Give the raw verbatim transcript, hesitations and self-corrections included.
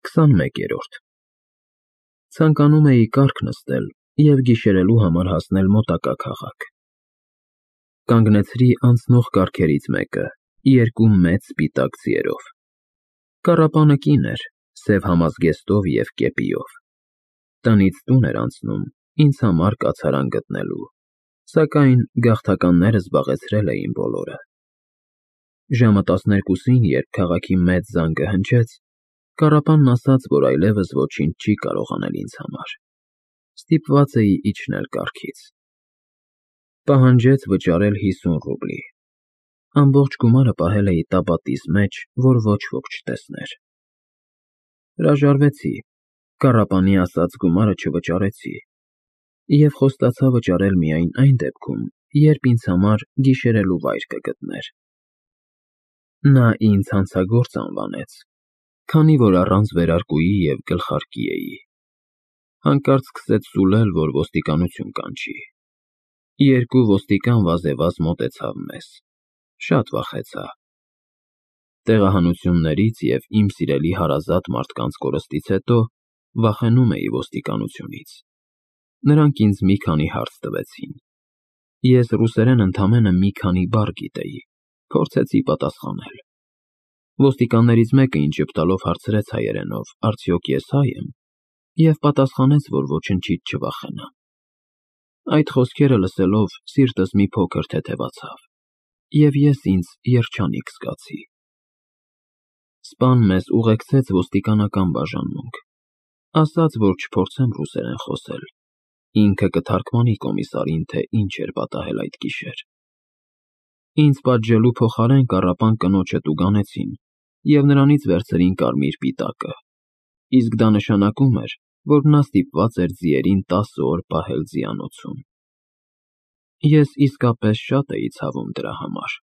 քսանմեկերորդ Ցանկանում էի կառք նստել և գիշերելու համար հասնել մոտակա քաղաք։ Կանգնեցրի անցնող կառքերից մեկը երկու մեծ սպիտակ ձիերով։ Կառապանը կին էր, սև համազգեստով և կեպիով։ Տնից տուն էր անցնում ինձ համար կացարան գտնելու, սակայն գաղթականները զբաղեցրել էին բոլորը։ Ժամը տասներկուսին, երբ քաղաքի մեծ զանգը հնչեց, կառապանն ասաց, որ այլևս ոչինչ չի կարող անել ինձ համար, ստիպված էի իջնել կառքից։ Պահանջեց վճարել հիսուն ռուբլի, ամբողջ գումարը պահել էի տապատիս մեջ, որ ոչ ոք չտեսներ։ Հրաժարվեցի, կառապանի ասած գումարը չվճարեցի և խոստացա վճարել միայն այն դեպքում, երբ ինձ համար գիշերելու վայր կգտներ։ Նա ինձ հանցագործ անվանեց, քանի որ առանց վերարկուի և գլխարկի էի։ Հանկարծ սկսեց սուլել, որ ոստիկանություն կանչի։ Երկու ոստիկան վազեվազ մոտեցավ մեզ, շատ վախեցա։ Տեղահանություններից և իմ սիրելի հարազատ մարդկանց կորստից հետո վախենում էի ոստիկանությունից։ Նրանք ինձ մի քանի հարց տվեցին։ Ես ռուսերեն ընդամենը մի քանի բառ գիտեի, փորձեցի պատասխանել։ Ոստիկաններից մեկը ինձ ժպտալով հարցրեց հայերենով՝ արդյոք ես հայ եմ, և պատասխանեց, որ ոչնչից չվախենամ։ Այդ խոսքերը լսելով սիրտս մի փոքր թեթևացավ, և ես ինձ երջանիկ զգացի։ Սպան մեզ ուղեկցեց ոստիկանական բաժանմունք, ասաց, որ չփորձեմ ռուսերեն խոսել, ինքը կթարգմանի կոմիսարին, թե ինչ էր պատահել այդ գիշեր։ Ինձ պատժելու փոխարեն կառապան կնոջը տուգանեցին և նրանից վերցրին կարմիր պիտակը, իսկ դա նշանակում էր, որ նա ստիպված էր ձիերին տասը օր պահել ձիանոցում։ Ես իսկապես շատ էի ցավում դրա համար։